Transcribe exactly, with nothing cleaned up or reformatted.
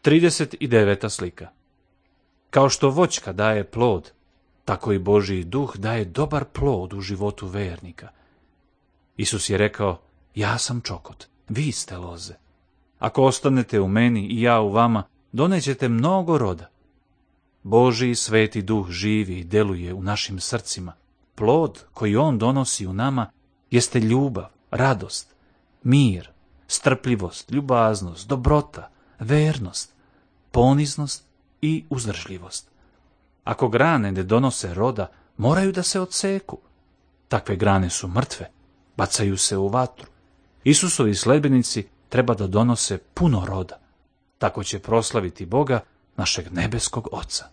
trideset deveta slika. Kao što voćka daje plod, tako i Božji duh daje dobar plod u životu vernika. Isus je rekao, ja sam čokot, vi ste loze. Ako ostanete u meni i ja u vama, donećete mnogo roda. Božji sveti duh živi i deluje u našim srcima. Plod koji on donosi u nama jeste ljubav, radost, mir, strpljivost, ljubaznost, dobrota, vernost, poniznost i uzdržljivost. Ako grane ne donose roda, moraju da se odseku. Takve grane su mrtve, bacaju se u vatru. Isusovi sledbenici treba da donose puno roda. Tako će proslaviti Boga, našeg nebeskog Oca.